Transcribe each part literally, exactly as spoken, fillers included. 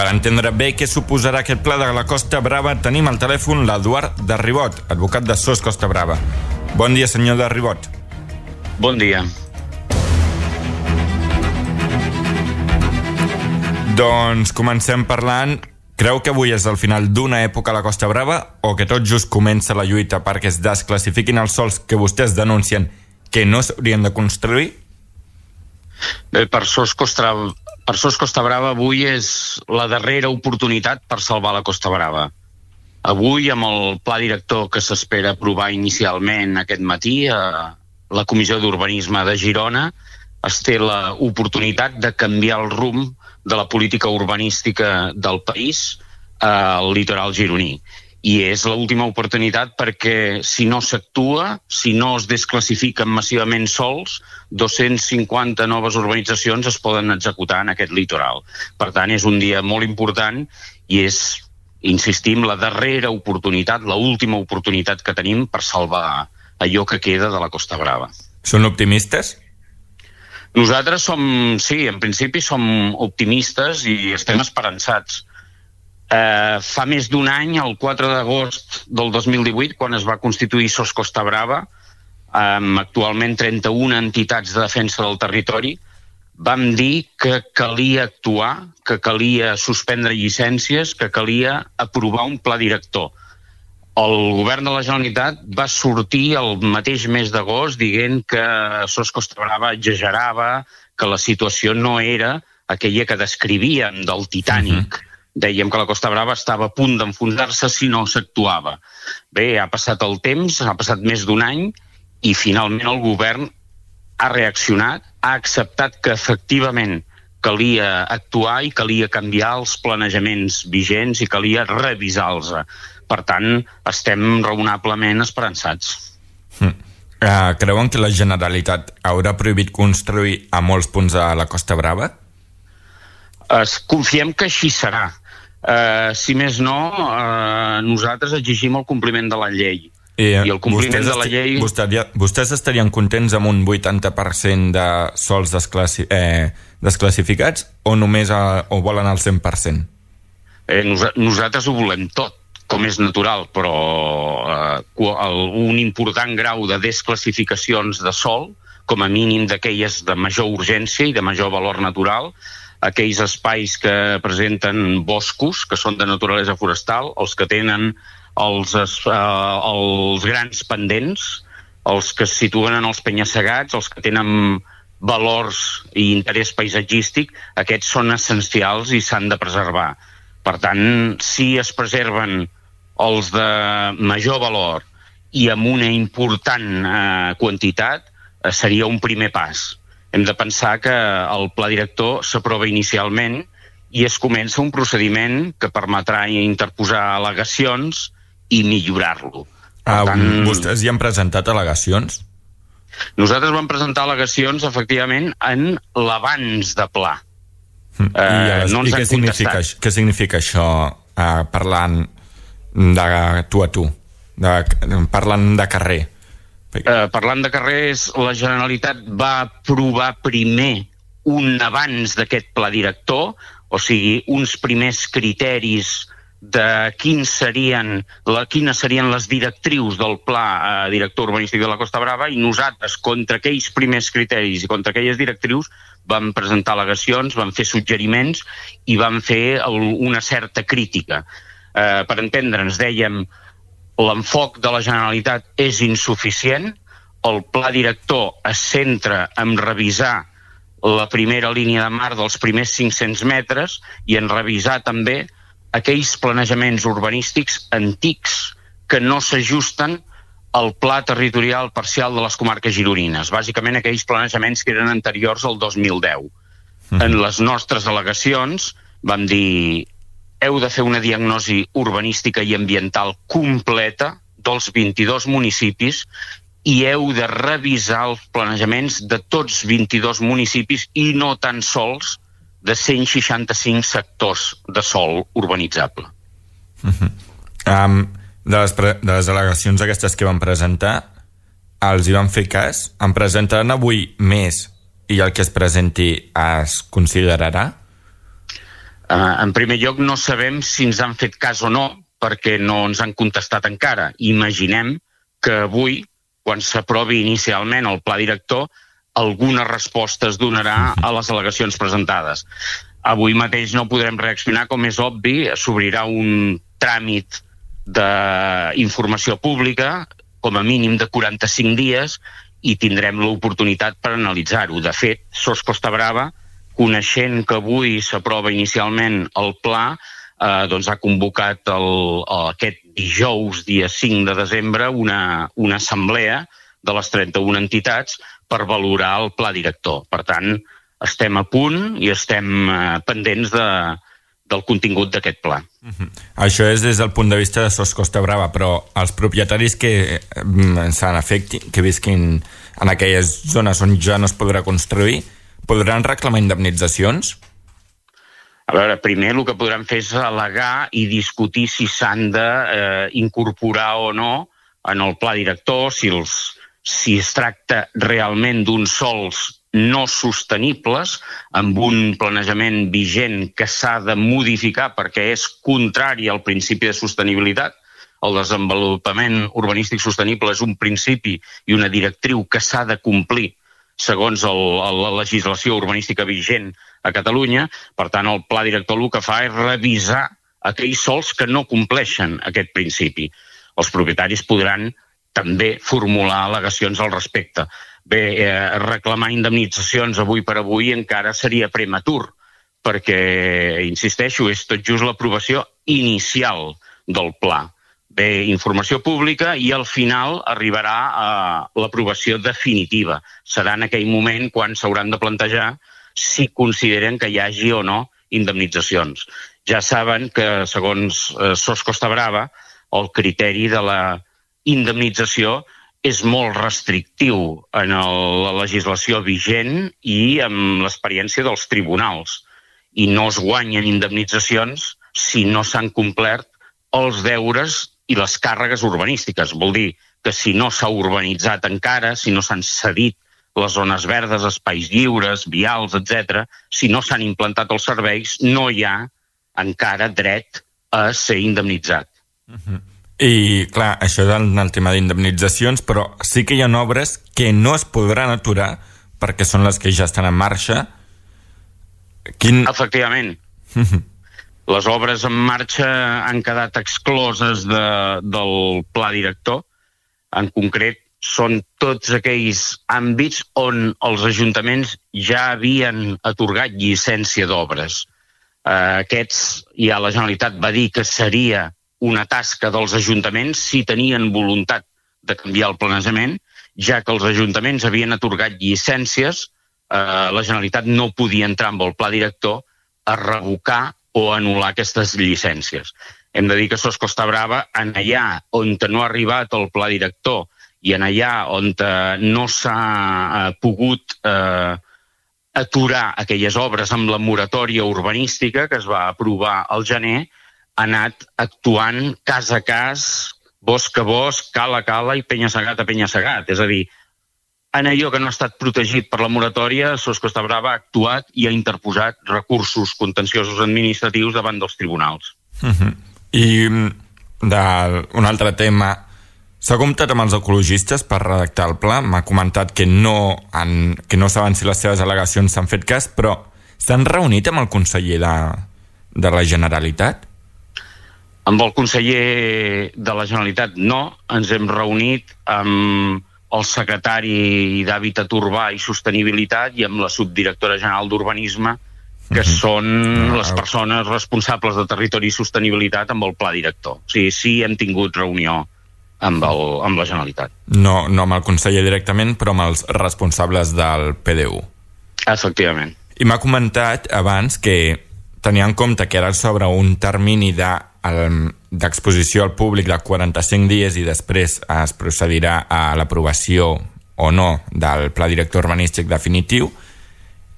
Per entendre bé què suposarà aquest pla de la Costa Brava, tenim al telèfon l'Eduard de Ribot, advocat de SOS Costa Brava. Bon dia, senyor de Ribot. Bon dia. Doncs comencem parlant. Creu que avui és el final d'una època a la Costa Brava o que tot just comença la lluita perquè es desclassifiquin els sòls que vostès denuncien que no s'haurien de construir? Bé, per SOS Costa, per SOS Costa Brava avui és la darrera oportunitat per salvar la Costa Brava. Avui, amb el pla director que s'espera aprovar inicialment aquest matí a la Comissió d'Urbanisme de Girona, es té l'oportunitat de canviar el rumb de la política urbanística del país al litoral gironí. I és l'última oportunitat perquè si no s'actua, si no es desclassifiquen massivament sols, dos-cents cinquanta noves urbanitzacions es poden executar en aquest litoral. Per tant, és un dia molt important i és, insistim, la darrera oportunitat, l'última oportunitat que tenim per salvar allò que queda de la Costa Brava. Són optimistes? Nosaltres som, sí, en principi som optimistes i estem esperançats. Eh, fa més d'un any, el quatre d'agost del dos mil divuit, quan es va constituir SOS Costa Brava, amb actualment trenta-una entitats de defensa del territori, vam dir que calia actuar, que calia suspendre llicències, que calia aprovar un pla director. El govern de la Generalitat va sortir el mateix mes d'agost dient que SOS Costa Brava exagerava, que la situació no era aquella que descrivíem del Titànic. Uh-huh. Dèiem que la Costa Brava estava a punt d'enfonsar-se si no s'actuava. Bé, ha passat el temps, ha passat més d'un any i finalment el govern ha reaccionat, ha acceptat que efectivament calia actuar i calia canviar els planejaments vigents i calia revisar-los. Per tant, estem raonablement esperançats. Mm. Uh, creuen que la Generalitat haurà prohibit construir a molts punts de la Costa Brava? Es, confiem que així serà. Uh, si més no, uh, nosaltres exigim el compliment de la llei. I, I el compliment de la llei... Vostès, vostès estarien contents amb un vuitanta per cent de sols desclassi, eh, desclassificats o només a, o volen el cent per cent? Eh, nos, nosaltres ho volem tot, com és natural, però eh, un important grau de desclassificacions de sòl, com a mínim d'aquelles de major urgència i de major valor natural, aquells espais que presenten boscos, que són de naturalesa forestal, els que tenen els, eh, els grans pendents, els que es situen en els penya-segats, els que tenen valors i interès paisatgístic, aquests són essencials i s'han de preservar. Per tant, si es preserven els de major valor i amb una important eh, quantitat, eh, seria un primer pas. Hem de pensar que el pla director s'aprova inicialment i es comença un procediment que permetrà interposar al·legacions i millorar-lo. Ah, tant, vostès hi han presentat al·legacions? Nosaltres vam presentar al·legacions, efectivament, en l'abans de pla. I, uh, no I què, significa, què significa això, uh, parlant de tu a tu, de, parlant de carrer? Uh, parlant de carrer, la Generalitat va aprovar primer un abans d'aquest pla director, o sigui, uns primers criteris de quins serien, la, quines serien les directrius del pla eh, director urbanístic de la Costa Brava, i nosaltres, contra aquells primers criteris i contra aquelles directrius, vam presentar al·legacions, vam fer suggeriments i vam fer el, una certa crítica. Eh, per entendre'ns, dèiem, l'enfoc de la Generalitat és insuficient, el pla director es centra en revisar la primera línia de mar dels primers cinc-cents metres i en revisar també aquells planejaments urbanístics antics que no s'ajusten al pla territorial parcial de les comarques gironines, bàsicament aquells planejaments que eren anteriors al dos mil deu. Mm. En les nostres al·legacions vam dir heu de fer una diagnosi urbanística i ambiental completa dels vint-i-dos municipis i heu de revisar els planejaments de tots vint-i-dos municipis i no tan sols de cent seixanta-cinc sectors de sòl urbanitzable. Uh-huh. Um, de, les pre- de les al·legacions aquestes que van presentar, els hi van fer cas? En presentaran avui més i el que es presenti es considerarà? Uh, en primer lloc, no sabem si ens han fet cas o no, perquè no ens han contestat encara. Imaginem que avui, quan s'aprovi inicialment el pla director, alguna resposta es donarà a les al·legacions presentades. Avui mateix no podrem reaccionar, com és obvi, s'obrirà un tràmit d'informació pública, com a mínim de quaranta-cinc dies, i tindrem l'oportunitat per analitzar-ho. De fet, Sos Costa Brava, coneixent que avui s'aprova inicialment el pla, eh, doncs ha convocat el, aquest dijous, dia cinc de desembre, una, una assemblea de les trenta-una entitats per valorar el pla director. Per tant, estem a punt i estem eh, pendents de, del contingut d'aquest pla. Uh-huh. Això és des del punt de vista de Sos Costa Brava, però els propietaris que s'han afecti, que visquin en aquelles zones on ja no es podrà construir, podran reclamar indemnitzacions? A veure, primer el que podran fer és al·legar i discutir si s'han d'incorporar eh, o no en el pla director, si, els, si es tracta realment d'uns sols no sostenibles, amb un planejament vigent que s'ha de modificar perquè és contrari al principi de sostenibilitat. El desenvolupament urbanístic sostenible és un principi i una directriu que s'ha de complir segons el, la legislació urbanística vigent a Catalunya. Per tant, el pla director el que fa és revisar aquells sols que no compleixen aquest principi. Els propietaris podran també formular al·legacions al respecte. Bé, eh, reclamar indemnitzacions avui per avui encara seria prematur, perquè, insisteixo, és tot just l'aprovació inicial del pla. Bé, informació pública i al final arribarà a l'aprovació definitiva. Serà en aquell moment quan s'hauran de plantejar si consideren que hi hagi o no indemnitzacions. Ja saben que, segons eh, Sos Costa Brava, el criteri de la indemnització és molt restrictiu en el, la legislació vigent i amb l'experiència dels tribunals. I no es guanyen indemnitzacions si no s'han complert els deures i les càrregues urbanístiques. Vol dir que si no s'ha urbanitzat encara, si no s'han cedit les zones verdes, espais lliures, vials, etcètera, si no s'han implantat els serveis, no hi ha encara dret a ser indemnitzat. Uh-huh. I, clar, això és el, el tema d'indemnitzacions, però sí que hi ha obres que no es podran aturar perquè són les que ja estan en marxa. Quin... Efectivament. Uh-huh. Les obres en marxa han quedat excloses de, del pla director. En concret, són tots aquells àmbits on els ajuntaments ja havien atorgat llicència d'obres. Eh, aquests, ja la Generalitat va dir que seria una tasca dels ajuntaments si tenien voluntat de canviar el planejament, ja que els ajuntaments havien atorgat llicències, eh, la Generalitat no podia entrar amb el pla director a revocar o anul·lar aquestes llicències. Hem de dir que Sos Costa Brava, en allà on no ha arribat el pla director i en allà on no s'ha eh, pogut eh, aturar aquelles obres amb la moratòria urbanística que es va aprovar al gener, ha anat actuant cas a cas, bosc a bosc, cala a cala i penya-segat a penya-segat. És a dir, en allò que no ha estat protegit per la moratòria, Sos Costa Brava ha actuat i ha interposat recursos contenciosos administratius davant dels tribunals. Uh-huh. I d'un altre tema, s'ha comptat amb els ecologistes per redactar el pla? M'ha comentat que no, han, que no saben si les seves al·legacions s'han fet cas, però s'han reunit amb el conseller de, de la Generalitat? Amb el conseller de la Generalitat no, ens hem reunit amb el secretari d'Hàbitat Urbà i Sostenibilitat i amb la subdirectora general d'Urbanisme, que uh-huh. són uh-huh. les persones responsables de Territori i Sostenibilitat amb el pla director. O sigui, sí hem tingut reunió amb, el, amb la Generalitat. No, no amb el conseller directament, però amb els responsables del P D U. Efectivament. I m'ha comentat abans que tenia en compte que ara s'obre un termini de d'exposició al públic de quaranta-cinc dies i després es procedirà a l'aprovació o no del pla director urbanístic definitiu.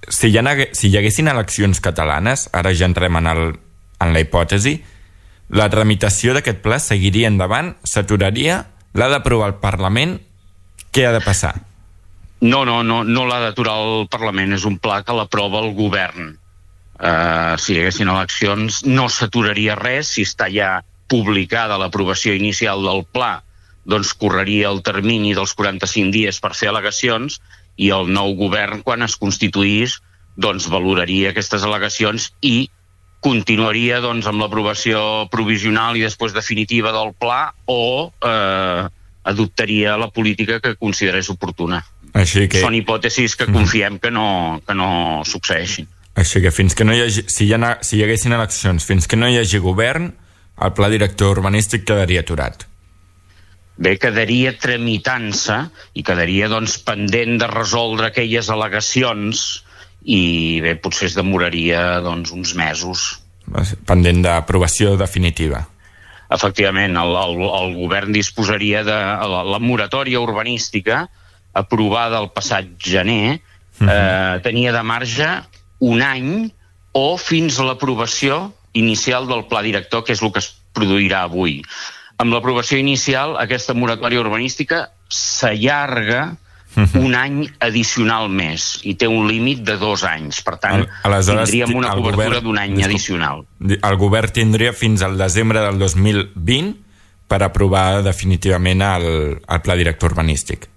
Si hi, ha, si hi haguessin eleccions catalanes, ara ja entrem en, el, en la hipòtesi, la tramitació d'aquest pla seguiria endavant, s'aturaria, l'ha d'aprovar el Parlament, què ha de passar? No, no, no, no l'ha d'aturar el Parlament, és un pla que l'aprova el govern. Uh, si hi haguessin eleccions no s'aturaria res. Si està ja publicada l'aprovació inicial del pla, doncs correria el termini dels quaranta-cinc dies per fer al·legacions, i el nou govern, quan es constituís, doncs valoraria aquestes al·legacions i continuaria doncs amb l'aprovació provisional i després definitiva del pla, o eh, adoptaria la política que considerés oportuna. Així que... Són hipòtesis que confiem que no, que no succeeixin. Així que fins que no hi hagi, si hi, ha, si hi haguessin eleccions, fins que no hi hagi govern, el pla director urbanístic quedaria aturat. Bé, quedaria tramitant-se i quedaria doncs pendent de resoldre aquelles al·legacions, i bé, potser es demoraria doncs uns mesos. Pendent d'aprovació definitiva. Efectivament, el, el, el govern disposaria de la, la moratòria urbanística aprovada el passat gener, uh-huh. eh, tenia de marge un any o fins a l'aprovació inicial del pla director, que és el que es produirà avui. Amb l'aprovació inicial, aquesta moratòria urbanística s'allarga uh-huh. un any addicional més i té un límit de dos anys. Per tant, Aleshores, tindríem una cobertura d'un any disculp, addicional. El govern tindria fins al desembre del dos mil vint per aprovar definitivament el, el pla director urbanístic.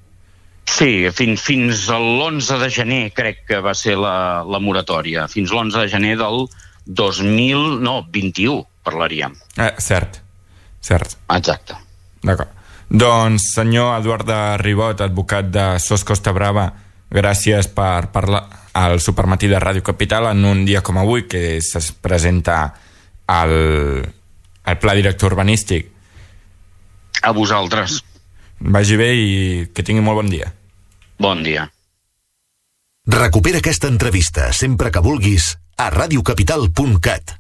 Sí, fins, fins a l'onze de gener crec que va ser la, la moratòria. Fins l'onze de gener del dos mil vint-i-u parlaríem. Eh, cert, cert. Exacte. D'acord. Doncs, senyor Eduard de Ribot, advocat de Sos Costa Brava, gràcies per parlar al Supermatí de Ràdio Capital en un dia com avui, que es presenta el, el pla director urbanístic. A vosaltres. Vagi bé i que tingui molt bon dia. Bon dia. Recupera aquesta entrevista sempre que vulguis a radiocapital punt cat.